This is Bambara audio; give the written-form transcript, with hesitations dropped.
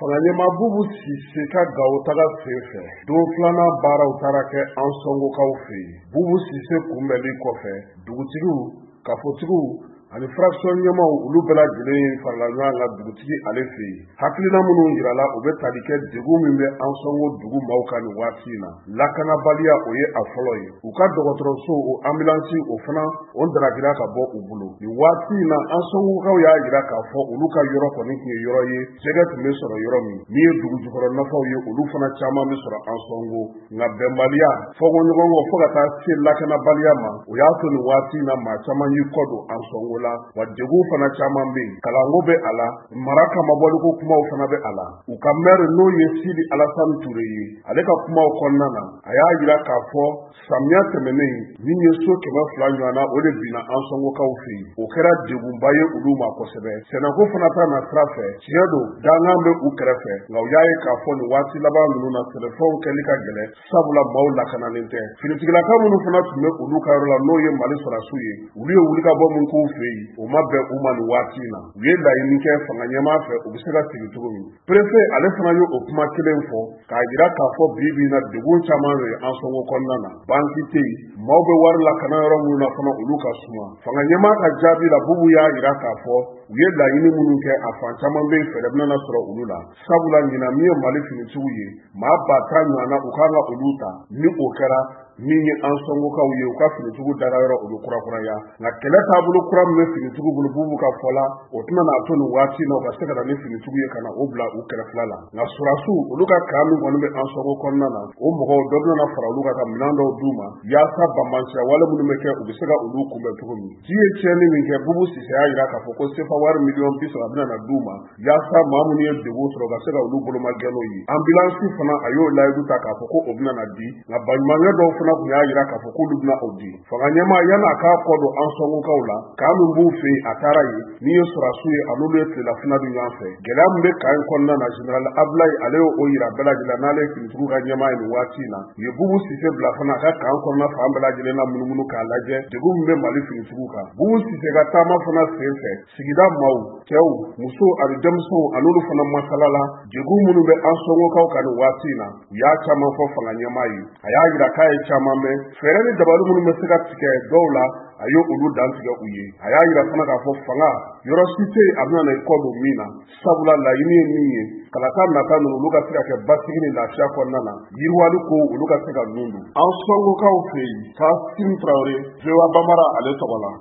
Fanga ɲɛmaa Bubu Sise ka Gawo taga senfɛ, don filanan baaraw taara kɛ Ansɔngokaw fɛ yen. Bubu Sise kunbɛnli kɔfɛ, dugutigiw, kafotigiw ani fraction ɲɛmaaw, olu bɛɛ lajɛlen farala ɲɔgɔn kan dugutigi ale fɛ yen. Hakilina minnu jirala, o bɛ tali kɛ degun min bɛ Ansɔngo dugu maaw kan nin waati in na. Lakanabaliya, o ye a fɔlɔ ye. U ka dɔgɔtɔrɔso, o ambulance, o fana o darakira ka bɔ u bolo nin waati in na. Ansɔngokaw y'a jira k'a fɔ olu ka yɔrɔ kɔni tun ye yɔrɔ ye, jɛgɛ tun bɛ sɔrɔ yɔrɔ min. Min ye dugu jukɔrɔ nafaw ye, olu fana caman bɛ sɔrɔ Ansɔngo. Nka bɛnbaliya, fɔnkɔɲɔgɔnkɔ, fo ka taa se lakanabaliya ma, o y'a to nin waati in na maa caman y'i kɔ don Ansɔngo la. Wa degun fana caman bɛ yen, kalanko bɛ a la, mara kamabɔliko kumaw fana bɛ a la. U ka maire, n'o ye Sidi Alasani Ture ye, ale ka kumaw kɔnɔna na, a y'a jira k'a fɔ samiya tɛmɛnen, min ye so 200 ɲɔgɔn na, o de binna Ansɔngokaw fɛ yen. O kɛra degunba ye olu ma kosɛbɛ. Sɛnɛko fana ta na sira fɛ, tiɲɛ don, dankan bɛ u kɛrɛfɛ, nka u y'a ye k'a fɔ nin waati laban ninnu na, sɛnɛfɛnw kɛli ka gɛlɛn, sabula maaw lakanalen tɛ. Finitigilaka minnu fana tun bɛ olu ka yɔrɔ la, n'o ye Mali sɔrɔdasiw ye, olu ye wulikabɔ min k'u fɛ yen, o ma bɛn u ma nin waati in na. U ye laɲini kɛ fanga ɲɛmaa fɛ, u bɛ se ka segin cogo min. Préfet, ale fana ye o kuma kelen fɔ k'a jira k'a fɔ bi bi in na, degun caman de ye Ansɔngo kɔnɔna na. Banki tɛ yen, maaw bɛ wari lakana yɔrɔ minnu na fana, olu ka suma. Fanga ɲɛmaa ka jaabi la, Bubu y'a jira k'a fɔ u ye laɲini minnu kɛ, a fan caman bɛ yen, fɛɛrɛ bɛna sɔrɔ olu la, sabula ɲinan, min ye Mali finitigiw ye, maa 10 000 ɲɔgɔn na, u kan ka olu ta. Ni o kɛra, min ye Ansɔngokaw ye, u ka finitigiw dara yɔrɔ, o bɛ kurakuraya. Nka kɛlɛ taabolo kura min bɛ finitigiw bolo, Bubu ka fɔ la, o tɛna n'a to nin waati in na u ka se ka na ni finitigiw ye ka na o bila u kɛrɛfɛla la. Nka sɔrɔdasiw, olu ka camp min kɔni bɛ Ansɔngo kɔnɔna na, o mɔgɔw dɔ bɛna fara olu kan ka minɛn dɔw d'u ma, yaasa banbaanciya wale minnu bɛ kɛ, u bɛ se ka olu kunbɛn cogo min. Ji ye tiɲɛni min kɛ, Bubu Sise y'a jira k'a fɔ ko sefa wari miliyɔn 30 bɛna na d'u ma, yaasa maa minnu ye degun sɔrɔ, u ka se ka olu boloma gɛn n'o ye. Ambulance fana, a y'o layidu ta k'a fɔ ko o bɛna na di. Nka baɲumankɛ dɔw fana tun y'a jira k'a fɔ k'olu bɛna o di. Fanga ɲɛmaa, yan'a k'a kɔ don Ansɔngokaw la, camp min b'u fɛ yen, a taara yen. Min ye sɔrɔdasiw ye, a n'olu ye tilelafana dun ɲɔgɔn fɛ. Gɛlɛya min bɛ camp in kɔnɔna na, général Abulayi, ale y'o yira bɛɛ lajɛlen na, n'ale ye finitigiw ka ɲɛmaa ye nin waati in na. U ye Bubu Sise bila fana a ka camp kɔnɔna fan bɛɛ lajɛlen na munumunu k'a lajɛ degun min bɛ Mali finitigiw kan. Bubu Sise ka taama fana sen fɛ, sigida maaw, cɛw, musow ani denmisɛnw, a n'olu fana masala la degun minnu bɛ Ansɔngokaw kan nin waati in na. U y'a caman fɔ fanga ɲɛmaa ye, a y'a jira k'a ye caman mɛn. Fɛɛrɛ ni dabali minnu bɛ se ka tigɛ dɔw la, a ye olu dantigɛ u ye. A y'a jira fana k'a fɔ fanga yɔrɔ si tɛ yen a bɛna na i kɔ don min na, sabula laɲini ye min ye, kalata nata ninnu, olu ka se ka kɛ basigi ni lafiya kɔnɔna na, yiriwali ko olu ka se ka nun don. Ansɔngokaw fɛ yen, Kasim Tarawele, VOA Bambara ale tɔgɔ la.